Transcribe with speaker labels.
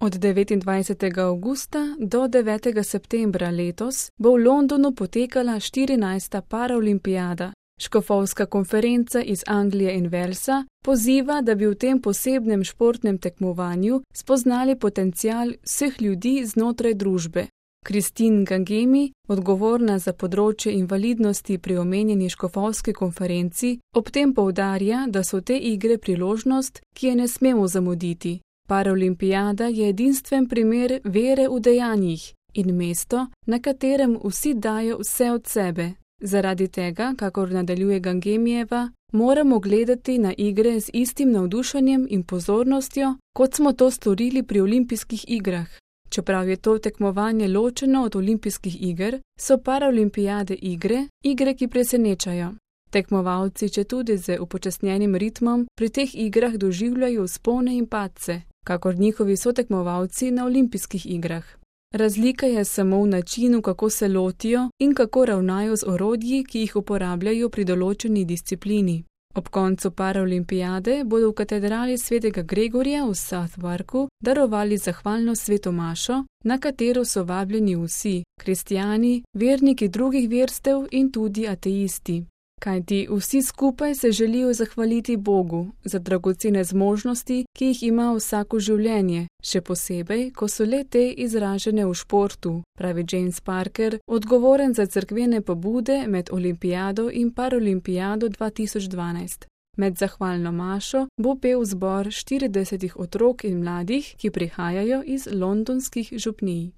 Speaker 1: Od 29. avgusta do 9. septembra letos bo v Londonu potekala 14. paraolimpijada. Škofovska konferenca iz Anglije in Walesa poziva, da bi v tem posebnem športnem tekmovanju spoznali potencial vseh ljudi znotraj družbe. Christine Gangemi, odgovorna za področje invalidnosti pri omenjeni škofovski konferenci, ob tem poudarja, da so te igre priložnost, ki je ne smemo zamuditi. Paraolimpijada je edinstven primer vere v dejanjih in mesto, na katerem vsi dajo vse od sebe. Zaradi tega, kakor nadaljuje Gangemijeva, moramo gledati na igre z istim navdušenjem in pozornostjo, kot smo to storili pri olimpijskih igrah. Čeprav je to tekmovanje ločeno od olimpijskih iger, so paraolimpijade igre, ki presenečajo. Tekmovalci, četudi z upočasnjenim ritmom, pri teh igrah doživljajo vzpone in padce, kakor njihovi sotekmovalci na olimpijskih igrah. Razlika je samo v načinu, kako se lotijo in kako ravnajo z orodji, ki jih uporabljajo pri določeni disciplini. Ob koncu paraolimpijade bodo v katedrali svetega Gregorja v Southwarku darovali zahvalno sveto mašo, na katero so vabljeni vsi, kristjani, verniki drugih verstev in tudi ateisti. Kajti vsi skupaj se želijo zahvaliti Bogu za dragocene zmožnosti, ki jih ima vsako življenje, še posebej, ko so le te izražene v športu, pravi James Parker, odgovoren za cerkvene pobude med olimpijado in paraolimpijado 2012. Med zahvalno mašo bo pel zbor 40 otrok in mladih, ki prihajajo iz londonskih župnij.